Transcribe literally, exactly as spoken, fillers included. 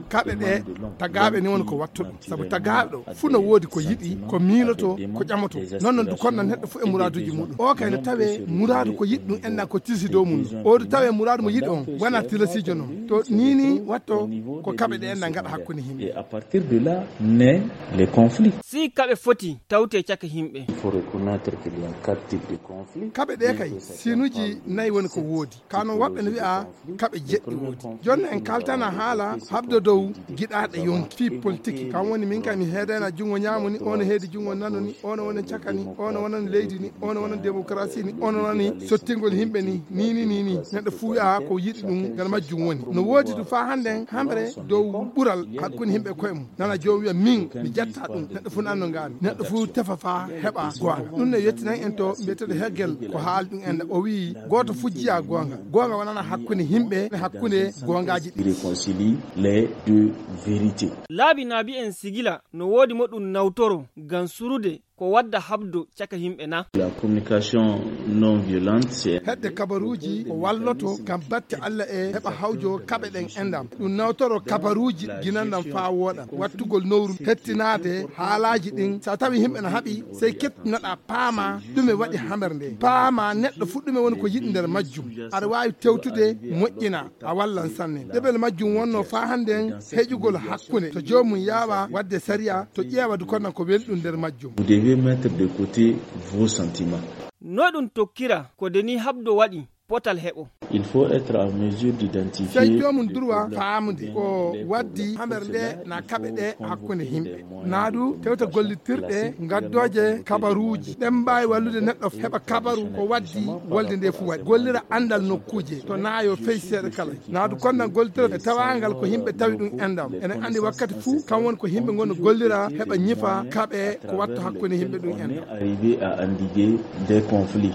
Kaɓe ɗe tagaaɓe ni woni ko wattuɗo, sabu tagaaɗo fuu no woodi ko yiɗi, ko miilotoo, ko ƴamotoo. Noon noon du konnan neɗɗo fuu e muraaduuji muuɗum. O kay no tawee muraadu ko yiɗi ɗum enna ko tilsi dow mum. O du tawee muraadu mo yiɗi on wona tilasiijo noon. To nii nii watto ko kaɓe ɗe enna ngaɗa hakkunde yimɓe. Et à partir de là naît les conflits. Si kaɓe foti tawtee caka yimɓe. Il faut reconnaître qu'il y a quatre types de conflits. Kaɓe ɗe kay siinuuji nayi woni ko woodi. Ka noon woɓɓe no wi'a kaɓe jeɗɗi woodi. Jooni en kaltana haala habdo dow giɗaaɗe yonki fii politiki. Kam woni min kam mi heedayna junngo ñaamo ni, on heedi junngo nano ni, on woni caka ni, on woni leydi ni, on woni démocratie ni, on woni sottingol yimɓe ni, ni, ni, ni, ni. Neɗɗo fuu wi'a ko yiɗi ɗum ngal majjum woni. No woodi du faa hannden hamre dow ɓural hakkunde yimɓe koye mum. Nana joom wi'a min mi jetta ɗum. Neɗɗo fuu nanno ngaami. Neɗɗo fuu tefa faa heɓa goonga. Ɗum ne yettinan en to mbiyeteeɗo Hegel ko haali ɗum en o wi'i gooto fuu jiya goonga. Goonga wonana hakkunde yimɓe e hakkunde goongaaji ɗi. Réconcilie les deux vérités. Laabi naabi en sigila no woodi mo ɗum nawtoro ngam surude ko wadda habdo caka yimɓe na? La communication non violente, c'est hedde kabaruuji ko walloto ngam batte Alla e heɓa hawjo kaɓe ɗen endam. Ɗum nawtoro kabaruuji ginandam faa wooɗa. Wattugol nowru hettinaade haalaaji ɗin. So a tawi yimɓe na haɓi, sey kettunoɗaa paama ɗume waɗi hamere nde. Paama neɗɗo fuu ɗume woni ko yiɗi nder majjum. Aɗa waawi tewtude moƴƴina. A wallan sanne. Ɗeɓel majjum wonno faa hannden heƴugol hakkunde. To joomum yaawa wadde sariya, to ƴeewa du konnan ko welɗum nder majjum. Vous devez mettre de côté vos sentiments. No ɗum tokkira ko de ni habdo waɗi potal heɓo. Il faut être en mesure d'identifier. Sey joomum durwa faamude ko waddi hamere nde na kaɓe ɗe hakkunde yimɓe. Naa du tewta gollitirɗe ngaddooje kabaruuji. Ɗen mbaawi wallude neɗɗo heɓa kabaru ko waddi wolde nde fuu waɗi. Gollira anndal nokkuuje to naayo fey seeɗa kala. Naa du konnan gollitirɗe tawaangal ko yimɓe tawi ɗum enɗam. Enen anndi wakkati fuu kam woni ko yimɓe ngon no gollira heɓa ñifa kaɓe ko watta hakkunde yimɓe ɗum enɗam. Arriver à endiguer des conflits.